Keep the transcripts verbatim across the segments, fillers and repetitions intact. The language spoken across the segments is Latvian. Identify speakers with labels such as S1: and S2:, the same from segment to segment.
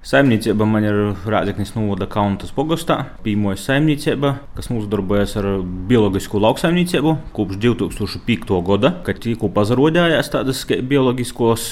S1: Saimniecība man ir Rēzeknes novada Kauntas pogostā. Pirmā saimniecība, kas nodarbojas ar bioloģisku lauksaimniecību kopš divi tūkstoši piekto gada, kad tikko pazarodējās tādas bioloģiskos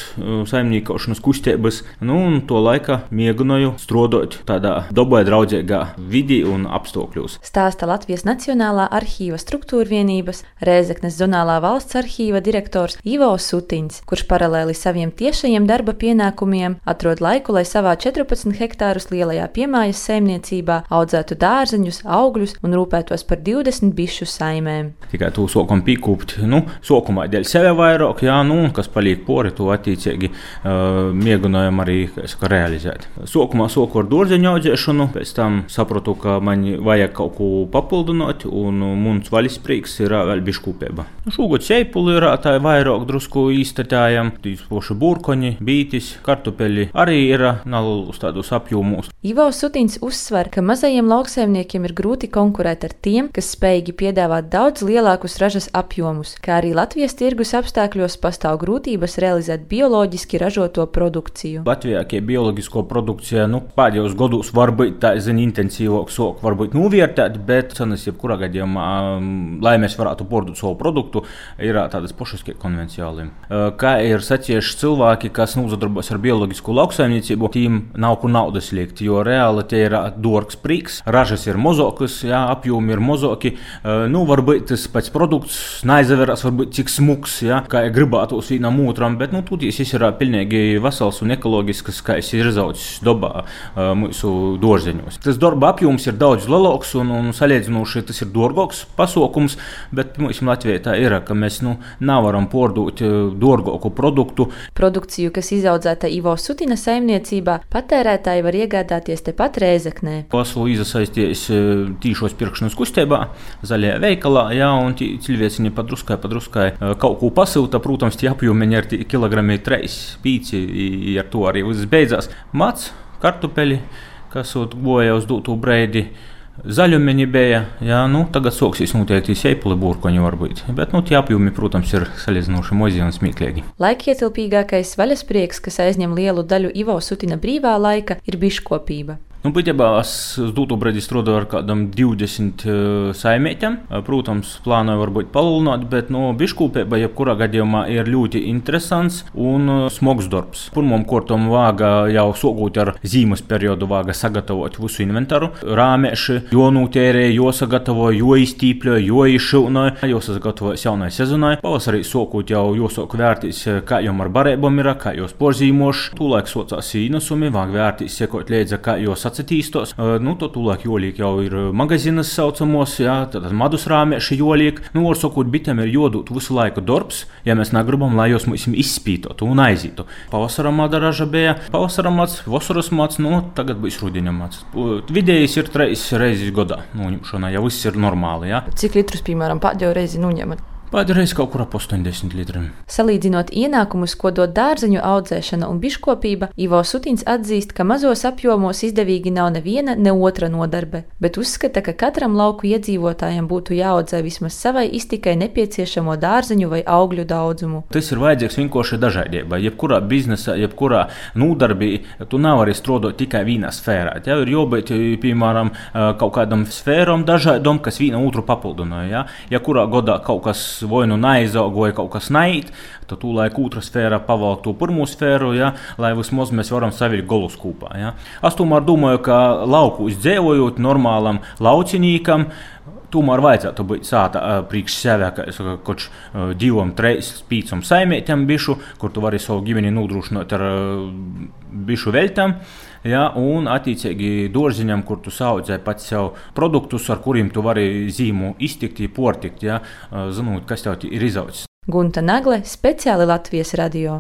S1: saimniekošanas kustības. Nu, un to laika mēģināju strādāt tādā dabai draudzīgā vidī un apstākļos.
S2: Stāsta Latvijas Nacionālā arhīva struktūrvienības Rēzeknes zonālā valsts arhīva direktors Ivo Sutiņs, kurš paralēli saviem tiešajiem darba pienākumiem atrod laiku, lai savā četrpadsmit hektārus lielajā piemājas saimniecībā audzētu dārzeņus, augļus un rūpētos par divdesmit bišu saimēm.
S1: Tikai to sākam pīkūpt, nu, sākumā dēļ sevi vairāk, jā, nu, kas paliek pori, to attiecīgi uh, mēģinājam arī, kā es saku, realizēt. Sākumā sāku ar dārzeņu audzēšanu, pēc tam sapratu, ka man vajag kaut ko papildināt, un mums vaļas prieks ir vēl biškūpība. Šogad seipuli ir tā vairāk drusku īstatājam, tīs poši burkoņi, bītis, kartupeļi arī ir nav uz tādos apjomos.
S2: Ivo Sutiņs uzsver, ka mazajiem lauksaimniekiem ir grūti konkurēt ar tiem, kas spējīgi piedāvāt daudz lielākus ražas apjomus, kā arī Latvijas tirgus apstākļos pastāv grūtības realizēt bioloģiski ražoto produkciju.
S1: Latvijā, kā bioloģisko produkciju, nu, pēdējos gados varbūt tā zina intensīvāk sāk varbūt novērtēt, bet cenas jebkurā gadījumā, lai mēs varētu pārdot savu produktu, ir tādas pašas kā konvencionāli. Kā ir sacījuši cilvēki, kas nodarbojas ar bioloģisku lauksaimniecību, tiem nav kur naudas liekt, jo reāli tie ir dārgs prieks, ražas ir mazākas, jā, apjomi ir mazāki. Nu, varbūt tas pats produkts neizavērās, varbūt cik smuks, jā, kā gribētos vienam otram, bet nu, tūties ir pilnīgi vesels un ekoloģisks, kā es ir izaudzis dabā mūsu dārzeņos. Tas darba apjoms ir daudz lielāks un, un salīdzinoši tas ir dārgāks pasākums, bet mums Latvijā tā ir, ka mēs nu, nevaram pārdot dārgāku produktu.
S2: Produkciju, kas izaudzēta Ivo Sutina saimniecībā, patērētāji var iegādāties tepat Rēzeknē.
S1: Esmu iesaistījies tīšos pirkšanas kustībā, zaļajā veikalā, jā, un cilvēciņi padruskai, padruskai kaut ko pasilta, protams, tie apjomi ir kilogrami trīs, pīci, ar to arī viss beidzās. Mats, kartupeļi, kas goja uz dūtu breidi, zaļumeņi bija, jā, nu, tagad soksīs noteikti seipuli burkoņi varbūt, bet, nu, tie apjomi, protams, ir salīdzinoši mazi un smieklīgi.
S2: Laikietilpīgākais vaļasprieks, kas aizņem lielu daļu Ivo Sutina brīvā laika, ir biškopība.
S1: Nu, būtībā es uz dūtu brīdi strādāju ar kādam divdesmit uh, saimēķiem. Protams, plānoju varbūt palielināt, bet no biškūpība jebkurā gadījumā ir ļoti interesants un uh, smags darbs. Pirmām kārtām vāga jau sākot ar zīmes periodu vāga sagatavot visu inventāru. Rāmēši, jo nūtērē, jo sagatavo, jo iztīpļo, jo izšilno, jo sagatavojas jaunai sezonai. Pavasarī sākot jau jāsāk vērtīs, kā jom ar barībām ir, kā jos porzīmoši. Tūlaik sācās īnesumi, vāg vērtīs sekot līdzi, kā jos attīstos. Nu, to tūlāk jolīk jau ir magazīnas saucamos, jā, tad madus rāmieši jolīk. Nu, var sakot, bitēm ir jodūt visu laiku darbs, ja mēs negribam, lai jūs mums izspītotu un aizītu. Pavasara mada raža bija, pavasara mats, vasaras mats, nu, tagad būs rudeņa mats. Vidējais ir treis reizes gadā noņemšanā, ja viss ir normāli, jā.
S2: Cik litrus, piemēram, pēdējo reizi noņemat?
S1: Pēdējais kaut kur ap astoņdesmit litriem.
S2: Salīdzinot ienākumus, ko dod dārzeņu audzēšana un biškopība, Ivo Sutiņs atzīst, ka mazos apjomos izdevīgi nav neviena, ne otra nodarbe, bet uzskata, ka katram lauku iedzīvotājam būtu jāaudzē vismaz savai iztikai nepieciešamo dārzeņu vai augļu daudzumu.
S1: Tas ir vajadzīgs vienkārši dažādībai. Jebkurā biznesā, jebkurā nodarbī, tu nevari strādāt tikai vienā sfērā. Tev ir jābūt, piemēram, kaut kādam sfēram dažādam, kas viena otru papildināja. Ja, ja kurā gadā kaut kas vai nu neizaugoja, kaut kas neit, tad tūlaik otra sfēra pavalk to pirmo sfēru, ja, lai vismaz mēs varam savilkt golus kopā. Ja. Es tomēr domāju, ka lauku izdzīvojot normālam laucinīkam, tomēr vajadzētu būt sāta priekš sevi, kā es saku, koč divam, treis, pīcam saimētiem bišu, kur tu vari savu ģimeni nodrošināt ar bišu veļtam. Ja, un attiecīgi dārziņam, kur tu saudzē pats sev produktus, ar kuriem tu vari zīmu iztikt, portikt, ja, zinot, kas tev ir izaudzis.
S2: Gunta Nagle, speciāli Latvijas radio.